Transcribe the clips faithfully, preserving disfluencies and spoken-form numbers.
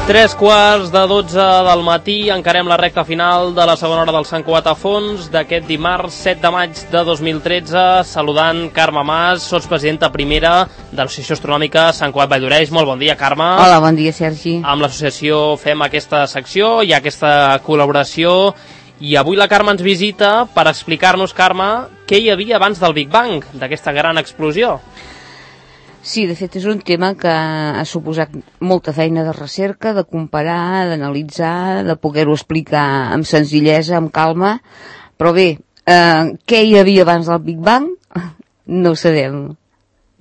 Tres quarts de dotze del matí, encarem la recta final de la segona hora del Sant Cugat a fons d'aquest dimarts set de maig de dos mil tretze, saludant Carme Mas, sotspresidenta primera de l'Associació Astronòmica Sant Cugat Vall d'Oreix. Molt bon dia, Carme. Hola, bon dia, Sergi. Amb l'associació fem aquesta secció i aquesta col·laboració, i avui la Carme ens visita per explicar-nos, Carme, què hi havia abans del Big Bang, d'aquesta gran explosió. Sí, de fet és un tema que ha suposat molta feina de recerca, de comparar, d'analitzar, de poder-ho explicar amb senzillesa, amb calma, però bé, eh, què hi havia abans del Big Bang? No ho sabem.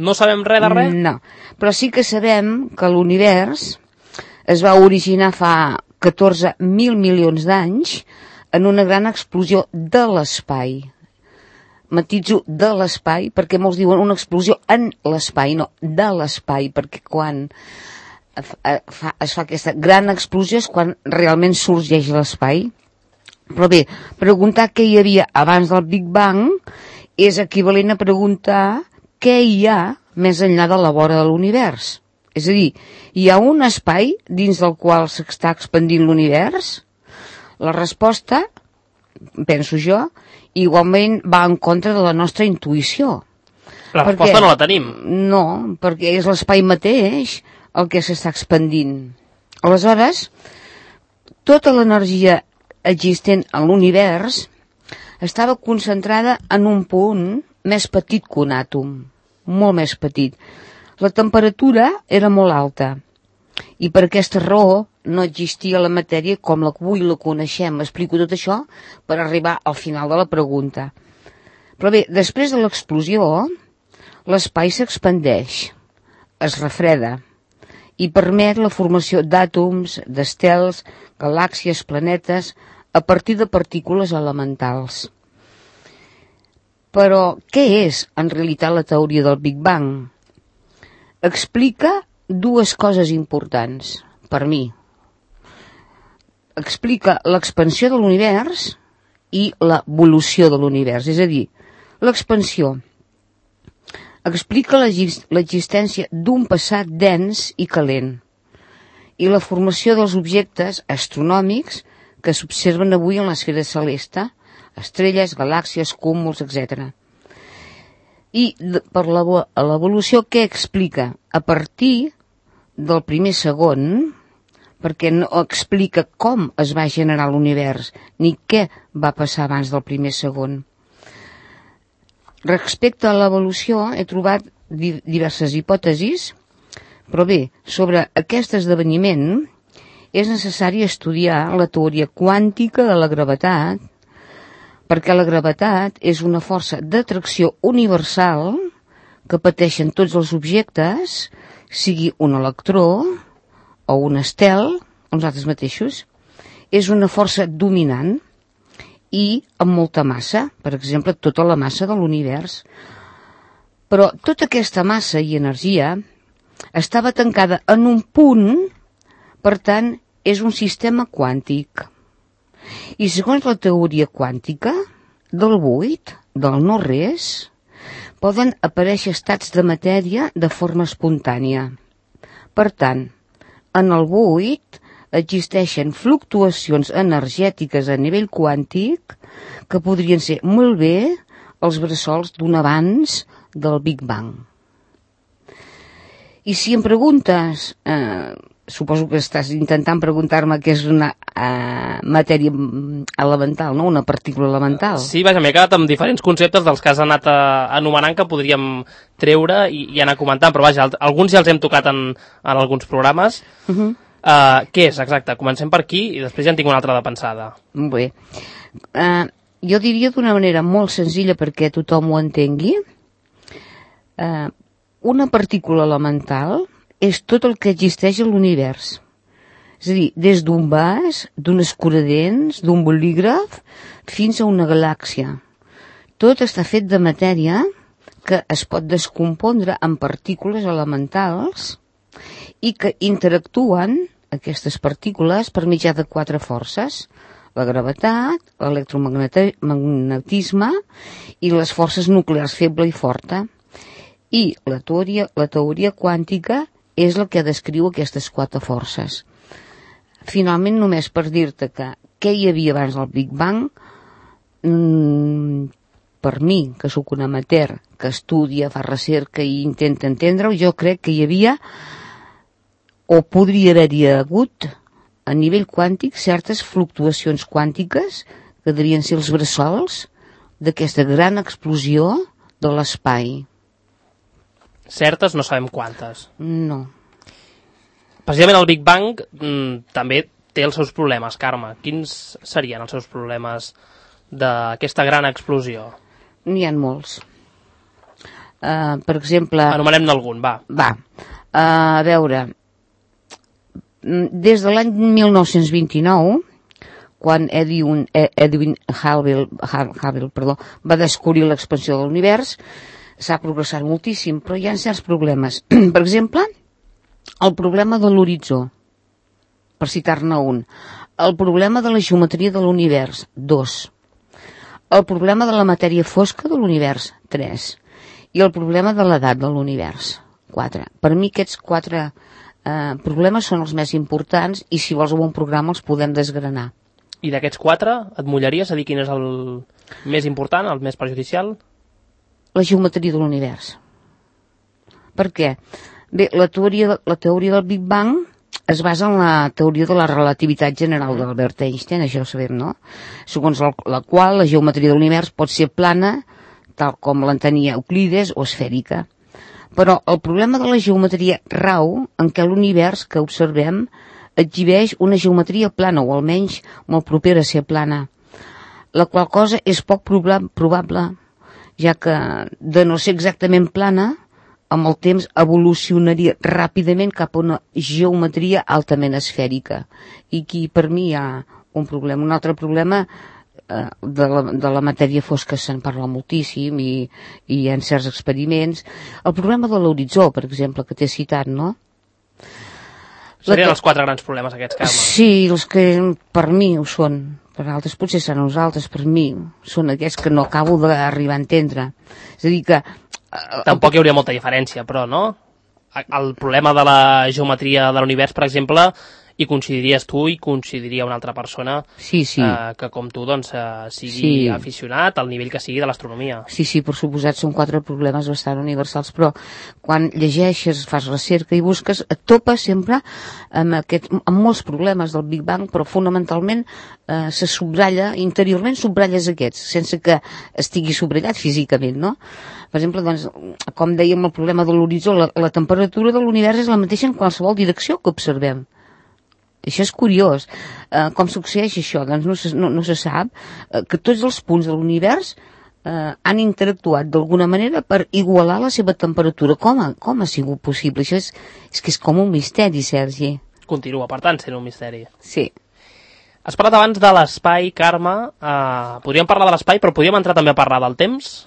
No sabem res de res? No, però sí que sabem que l'univers es va originar fa catorze mil milions d'anys en una gran explosió de l'espai. Matitzo de l'espai, perquè molts diuen una explosió en l'espai, no, de l'espai, perquè quan fa, es fa aquesta gran explosió és quan realment sorgeix l'espai. Però bé, preguntar què hi havia abans del Big Bang és equivalent a preguntar què hi ha més enllà de la vora de l'univers. És a dir, hi ha un espai dins del qual s'està expandint l'univers? La resposta, penso jo, igualment va en contra de la nostra intuïció. La resposta no la tenim. No, perquè és l'espai mateix el que s'està expandint. Aleshores, tota l'energia existent en l'univers estava concentrada en un punt més petit que un àtom, molt més petit. La temperatura era molt alta i per aquesta raó no existia la matèria com la que avui la coneixem. Explico tot això per arribar al final de la pregunta. Però bé, després de l'explosió, l'espai s'expandeix, es refreda i permet la formació d'àtoms, d'estels, galàxies, planetes, a partir de partícules elementals. Però què és, en realitat, la teoria del Big Bang? Explica dues coses importants, per mi. Explica l'expansió de l'univers i l'evolució de l'univers. És a dir, l'expansió explica l'existència d'un passat dens i calent i la formació dels objectes astronòmics que s'observen avui en l'esfera celeste, estrelles, galàxies, cúmuls, etcètera. I per l'evolució, què explica? A partir del primer segon, perquè no explica com es va generar l'univers, ni què va passar abans del primer segon. Respecte a l'evolució, he trobat diverses hipòtesis, però bé, sobre aquest esdeveniment és necessari estudiar la teoria quàntica de la gravetat, perquè la gravetat és una força d'atracció universal que pateixen tots els objectes, sigui un electró o un estel, nosaltres mateixos, és una força dominant i amb molta massa, per exemple, tota la massa de l'univers. Però tota aquesta massa i energia estava tancada en un punt, per tant, és un sistema quàntic. I segons la teoria quàntica, del buit, del no-res, poden aparèixer estats de matèria de forma espontània. Per tant, en el buit existeixen fluctuacions energètiques a nivell quàntic que podrien ser molt bé els bressols d'un abans del Big Bang. I si em preguntes, eh, suposo que estàs intentant preguntar-me què és una eh, matèria elemental, no? Una partícula elemental. Sí, vaja, m'he quedat amb diferents conceptes dels que has anat a, anomenant que podríem treure i, i anar comentant, però vaja, alguns ja els hem tocat en, en alguns programes. Uh-huh. Uh, què és, exacte? Comencem per aquí i després ja en tinc una altra de pensada. Bé. Uh, jo diria d'una manera molt senzilla perquè tothom ho entengui. Uh, una partícula elemental és tot el que existeix a l'univers. És a dir, des d'un vas, d'un escuradents, d'un bolígraf, fins a una galàxia. Tot està fet de matèria que es pot descompondre en partícules elementals i que interactuen aquestes partícules per mitjà de quatre forces: la gravetat, l'electromagnetisme i les forces nuclears feble i forta. I la teoria, la teoria quàntica és la que descriu aquestes quatre forces. finalment, només per dir-te que què hi havia abans del Big Bang, mmm, per mi, que sóc un amateur, que estudia, fa recerca i intenta entendre-ho, jo crec que hi havia, o podria haver-hi hagut, a nivell quàntic, certes fluctuacions quàntiques que devien ser els bressols d'aquesta gran explosió de l'espai. Certes, no sabem quantes. No. Precisament el Big Bang mm, també té els seus problemes, Carme. Quins serien els seus problemes d'aquesta gran explosió? N'hi ha molts. Uh, per exemple... Anomenem-ne algun, va. Va. Uh, a veure, des de l'any mil nou-cents vint-i-nou, quan Edwin, Edwin Hubble, Hubble perdó, va descobrir l'expansió de l'univers, s'ha progressat moltíssim, però hi ha certs problemes. Per exemple, el problema de l'horitzó, per citar-ne un. El problema de la geometria de l'univers, dos. El problema de la matèria fosca de l'univers, tres. I el problema de l'edat de l'univers, quatre. Per mi aquests quatre eh, problemes són els més importants i si vols un bon programa els podem desgranar. I d'aquests quatre, et mullaries a dir quin és el més important, el més perjudicial? La geometria de l'univers. Per què? Bé, la teoria, la teoria del Big Bang es basa en la teoria de la relativitat general d'Albert Einstein, això ho sabem, no? Segons la, la qual la geometria de l'univers pot ser plana, tal com l'entenia Euclides, o esfèrica. Però el problema de la geometria rau en què l'univers que observem exhibeix una geometria plana, o almenys molt propera a ser plana, la qual cosa és poc probable, ja que de no ser exactament plana, amb el temps evolucionaria ràpidament cap a una geometria altament esfèrica. I aquí per mi hi ha un problema. Un altre problema eh, de, la, de la matèria fosca se'n parla moltíssim i, i hi ha certs experiments. El problema de l'horitzó, per exemple, que t'he citat, no? Serien els quatre grans problemes aquests, Carme. Sí, els que per mi ho són. Per altres potser són nosaltres, per mi són aquests que no acabo d'arribar a entendre. És a dir que... Tampoc hi hauria molta diferència, però, no? El problema de la geometria de l'univers, per exemple, hi coincidiries tu i coincidiria una altra persona sí, sí. Eh, que com tu doncs, eh, sigui sí. aficionat al nivell que sigui de l'astronomia. Sí, sí, per suposat són quatre problemes bastant universals, però quan llegeixes, fas recerca i busques, et topes sempre amb, aquest, amb molts problemes del Big Bang, però fonamentalment eh, se subratlla, interiorment subratlles aquests, sense que estigui subratllat físicament, no? Per exemple, doncs, com dèiem, el problema de l'horitzó, la, la temperatura de l'univers és la mateixa en qualsevol direcció que observem. Això és curiós. Eh, com succeeix això? Doncs no se, no, no se sap eh, que tots els punts de l'univers eh, han interactuat d'alguna manera per igualar la seva temperatura. Com ha, com ha sigut possible? Això és, és que és com un misteri, Sergi. Continua, per tant, sent un misteri. Sí. Has parlat abans de l'espai, Carme. Eh, podríem parlar de l'espai, però podríem entrar també a parlar del temps?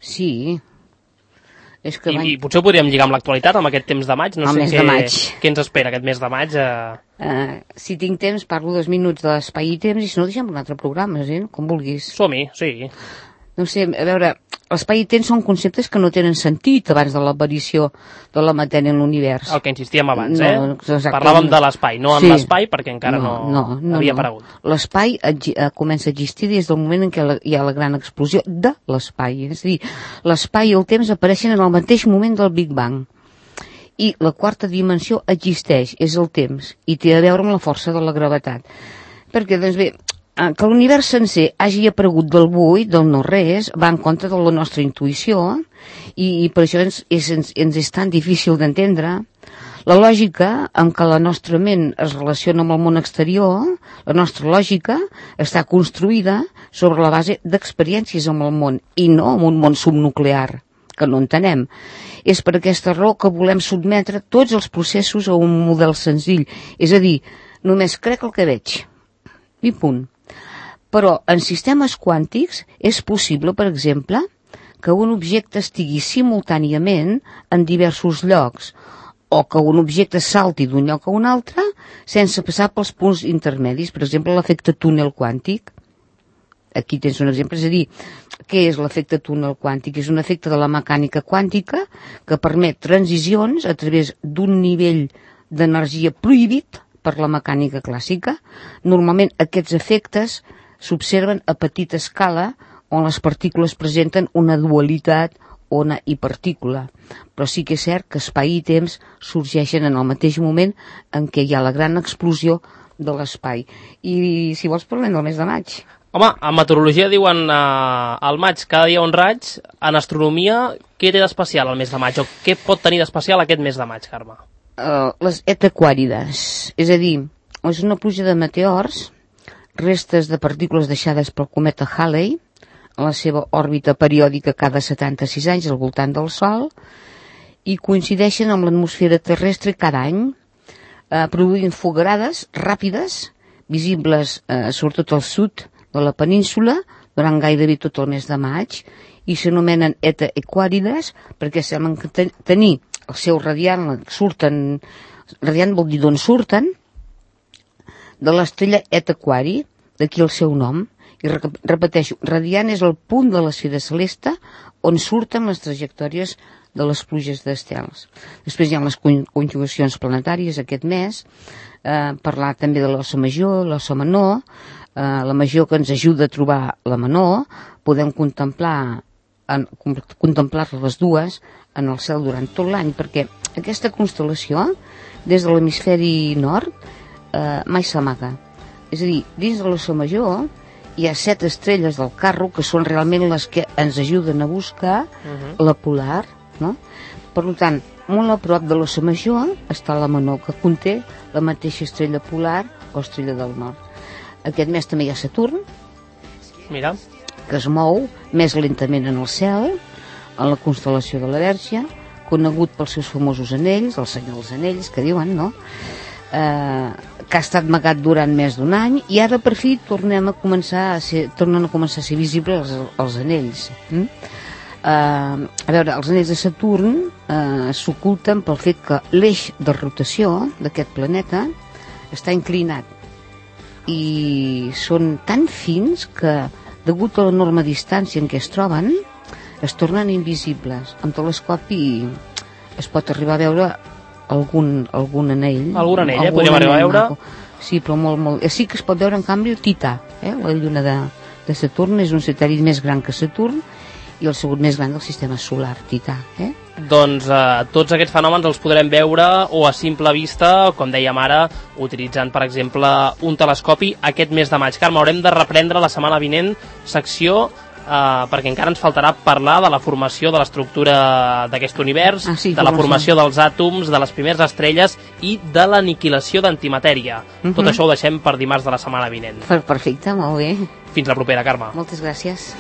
Sí. És que I, van... I potser ho podríem lligar amb l'actualitat, amb aquest temps de maig. No el sé mes què, de maig. Què ens espera aquest mes de maig? Eh... Uh, si tinc temps, parlo dos minuts de l'espai i temps, i si no, deixem un altre programa, eh? Com vulguis. Som-hi, sí. No sé, a veure, l'espai i temps són conceptes que no tenen sentit abans de l'aparició de la matèria en l'univers. El que insistíem abans, no, eh? Exacte. Parlàvem de l'espai, no en sí. l'espai, perquè encara no, no, no, no havia no. aparegut. L'espai eh, comença a existir des del moment en què la, hi ha la gran explosió de l'espai. És a dir, l'espai i el temps apareixen en el mateix moment del Big Bang. I la quarta dimensió existeix, és el temps, i té a veure amb la força de la gravetat. Perquè, doncs bé, que l'univers sencer hagi aparegut del buit, del no res, va en contra de la nostra intuïció, i, i per això ens, és, ens, ens és tan difícil d'entendre. La lògica amb què la nostra ment es relaciona amb el món exterior, la nostra lògica, està construïda sobre la base d'experiències amb el món, i no amb un món subnuclear, que no entenem. És per aquesta raó que volem sotmetre tots els processos a un model senzill, és a dir, només crec el que veig. I punt. Però en sistemes quàntics és possible, per exemple, que un objecte estigui simultàniament en diversos llocs, o que un objecte salti d'un lloc a un altre sense passar pels punts intermedis, per exemple, l'efecte túnel quàntic. Aquí tens un exemple, és a dir, què és l'efecte túnel quàntic? És un efecte de la mecànica quàntica que permet transicions a través d'un nivell d'energia prohibit per la mecànica clàssica. Normalment aquests efectes s'observen a petita escala on les partícules presenten una dualitat ona i partícula, però sí que és cert que espai i temps sorgeixen en el mateix moment en què hi ha la gran explosió de l'espai. I si vols parlem del mes de maig. Home, en meteorologia diuen eh, al maig cada dia un raig. En astronomia, què té d'especial el mes de maig? O què pot tenir d'especial aquest mes de maig, Carme? Uh, les etaquàrides, és a dir, és una pluja de meteors, restes de partícules deixades pel cometa Halley, en la seva òrbita periòdica cada setanta-sis anys al voltant del Sol, i coincideixen amb l'atmosfera terrestre cada any, eh, produint foguerades ràpides, visibles eh, sobretot al sud de la península, durant gairebé tot el mes de maig, i s'anomenen etaquàrides perquè semblen que ten tenir el seu radiant, surten, radiant vol dir d'on surten, de l'estrella Eta Aquari, d'aquí el seu nom. I repeteixo, radiant és el punt de l'esfera celeste on surten les trajectòries de les pluges d'estels. Després hi ha les conjugacions planetàries aquest mes, eh, parlar també de l'Ossa Major, l'Ossa Menor, eh, la Major que ens ajuda a trobar la Menor, podem contemplar en, contemplar les dues en el cel durant tot l'any, perquè aquesta constel·lació, des de l'hemisferi nord, eh, mai s'amaga. És a dir, dins de l'Ossa Major hi ha set estrelles del carro que són realment les que ens ajuden a buscar uh-huh. la polar, no? Per tant, molt a prop de l'Ossa Major està la Menor, que conté la mateixa estrella polar o estrella del nord. Aquest mes també hi ha Saturn, mira, que es mou més lentament en el cel, en la constel·lació de la Verge, conegut pels seus famosos anells, el senyor dels anells, que diuen, no?, eh, que ha estat amagat durant més d'un any, i ara per fi tornem a començar a ser, tornen a començar a ser visibles els, els anells. Mm? Eh, a veure, els anells de Saturn eh, s'oculten pel fet que l'eix de rotació d'aquest planeta està inclinat i són tan fins que, degut a l'enorme distància en què es troben, es tornen invisibles. Amb telescopi es pot arribar a veure algun, algun anell. Algun anell, eh? Podríem arribar a veure. Maco. Sí, però molt, molt... Sí que es pot veure, en canvi, el Tità, eh? La lluna de, de Saturn és un satèl·lit més gran que Saturn i el segon més gran del sistema solar, Tità, eh? Doncs eh, tots aquests fenòmens els podrem veure o a simple vista, com dèiem ara, utilitzant, per exemple, un telescopi aquest mes de maig. Carme, haurem de reprendre la setmana vinent secció Uh, perquè encara ens faltarà parlar de la formació de l'estructura d'aquest univers, ah, sí, de la formació dels àtoms, de les primeres estrelles i de l'aniquilació d'antimatèria. Uh-huh. Tot això ho deixem per dimarts de la setmana vinent. Perfecte, molt bé. Fins la propera, Carme. Moltes gràcies.